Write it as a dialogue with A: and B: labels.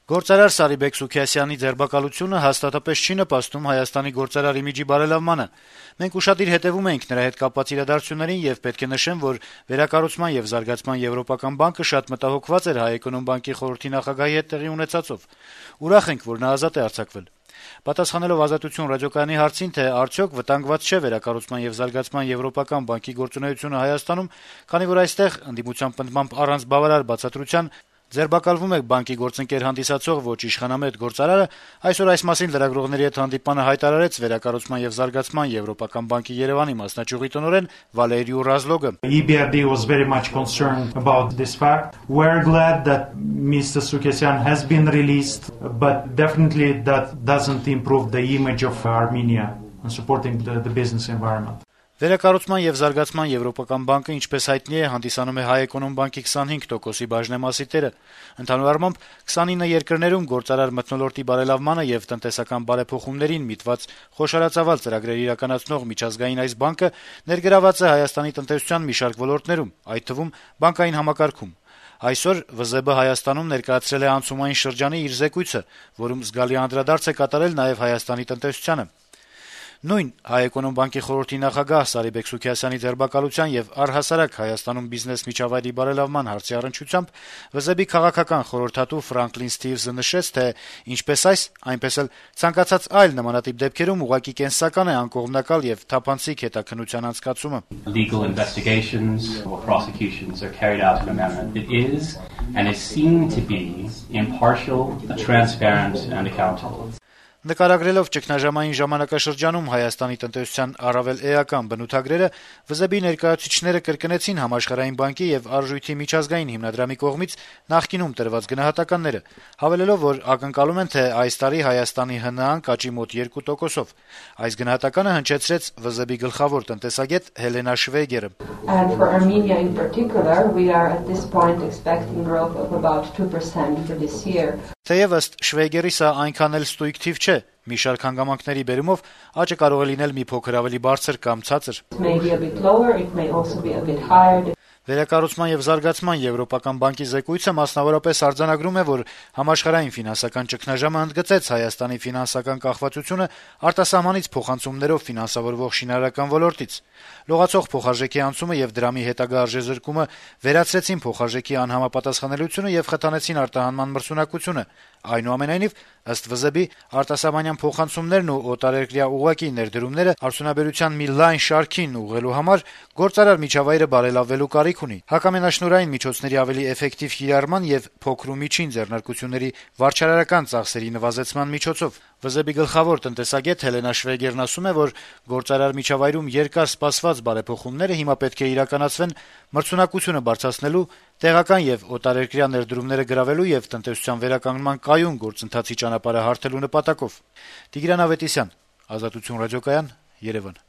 A: Գործարար Սարիբեկ Սուքիասյանի ձերբակալությունը հաստատապես չի նպաստում Հայաստանի գործարար իմիջի բարելավմանը։ Մենք ուշադիր հետեւում ենք նրա հետ կապված իրադարձություններին եւ պետք է նշեմ, որ Վերակառուցման եւ Զարգացման Եվրոպական բանկը շատ մտահոգված էր Հայ-Էկոնոմբանկի խորհրդի նախագահի հետ տեղի ունեցածով։ Ուրախ ենք, որ նա ազատ է արձակվել։ Պատասխանելով Ազատություն ռադիոկայանի հարցին, թե արդյոք վտանգված չէ Վերակառուցման եւ Զարգացման Եվրոպական բանկի գործունեությունը Հայաստանում, քանի որ այստեղ ընդդիմության պնդմամբ առանց բավարար բացատրության ձերբակալվում է բանկի գործընկեր հանդիսացող ոչ իշխանամետ գործարարը, այսօր այս մասին լրագրողների հետ հանդիպանը հայտարարեց Վերակառուցման եւ Զարգացման Եվրոպական բանկի Երևանի մասնաճյուղի տնօրեն Վալերիու Ռազլոգը.
B: EBRD was very much concerned about this fact. We're glad that Mr. Sukesyan has been released, but definitely that doesn't improve the image of Armenia and supporting the business environment.
A: Վերակառուցման եւ Զարգացման Եվրոպական բանկը, ինչպես հայտնի է, հանդիսանում է Հայ-Էկոնոմբանկի 25%-ի բաժնեմասի տերը։ Ընդհանուր առմամբ 29 երկրներում գործարար մթնոլորտի բարելավմանը եւ տնտեսական բարեփոխումներին միտված խոշորացավալ ծրագրեր իրականացնող միջազգային այս բանկը ներգրաված է Հայաստանի տնտեսության մի շարք ոլորտներում, այդ թվում բանկային համակարգում։ Այսօր ՎԶԲ Հայաստանում ներկայացրել է անցումային շրջանի իր զեկույցը, որում զգալի անդրադարձ է կատարել նաեւ Հայաստանի տնտեսությանը։ Նույն Հայ-Էկոնոմբանկի խորհրդի նախագահ Սարիբեկ Սուքիասյանի ձերբակալության եւ առհասարակ Հայաստանում բիզնես միջավայրի բարելավման հարցի առնչությամբ ՎԶԲ-ի քաղաքական խորհրդատու Ֆրանկլին Սթիվզը նշեց, թե ինչպես այս, այնպես էլ ցանկացած այլ նմանատիպ դեպքերում ուղղակի կենսական է անկողմնակալ եւ թափանցիկ հետաքննության անցկացումը.
C: Legal investigations or prosecutions are carried out in a manner that is and is seen to be impartial, transparent and accountable.
A: Նկարագրելով ճգնաժամային ժամանակաշրջանում Հայաստանի տնտեսության առավել էական բնութագրերը, ՎԶԲ-ի ներկայացուցիչները կրկնեցին Համաշխարհային բանկի եւ Արժույթի միջազգային հիմնադրամի կողմից նախկինում տրված գնահատականները, հավելելով, որ ակնկալում են, թե այս տարի Հայաստանի ՀՆԱ-ն կաճի մոտ 2%-ով։ Այս գնահատականը հնչեցրեց ՎԶԲ-ի գլխավոր տնտեսագետ Հելենա Շվեգերը.
D: And for Armenia in particular, we are at this point expecting growth of about 2% for this year.
A: Թեև ըստ Շվեգերի սա այնքան էլ ստույգ թիվ չէ, մի շարք հանգամանքների բերումով աճը կարող է լինել մի փոքր ավելի բարձր կամ ցածր։ Վերակառուցման եւ Զարգացման Եվրոպական բանկի զեկույցը մասնավորապես արձանագրում է, որ համաշխարհային ֆինանսական ճգնաժամը ընդգծեց Հայաստանի ֆինանսական կախվածությունը արտասահմանից փոխանցումներով ֆինանսավորվող շինարարական ոլորտից։ Լողացող փոխարժեքի անցումը եւ դրամի հետագա արժեզրկումը վերացրեցին փոխարժեքի անհամապատասխանելիությունը եւ խթանեցին արտահանման մրցունակությունը։ Այնուամենայնիվ, ըստ ՎԶԲ-ի, արտասահմանյան փոխանցումներն ու օտարերկրյա ուղղակի ներդրումները արդյունաբերության մի լայն շարքին ուղղելու համար գործարար միջավայրը բարելավելու կարիք ունի։ Հակամենաշնորհային միջոցների ավելի էֆեկտիվ կիրառման եւ փոքր ու միջին ձեռնարկությունների վարչարարական ծախսերի նվազեցման միջոցով ՎԶԲ-ի գլխավոր տնտեսագետ Հելենա Շվեգերն ասում է, որ գործարար միջավայրում երկար սպասված բարեփոխումները հիմա պետք է իրականացվեն մրցունակությունը բարձրացնելու, տեղական եւ օտարերկրյա ներդրումները գրավելու եւ տնտեսության վերականգնման կայուն գործընթացի ճանապարհը հարթելու նպատակով։ Տիգրան Ավետիսյան, Ազատություն ռադիոկայան, Երևան։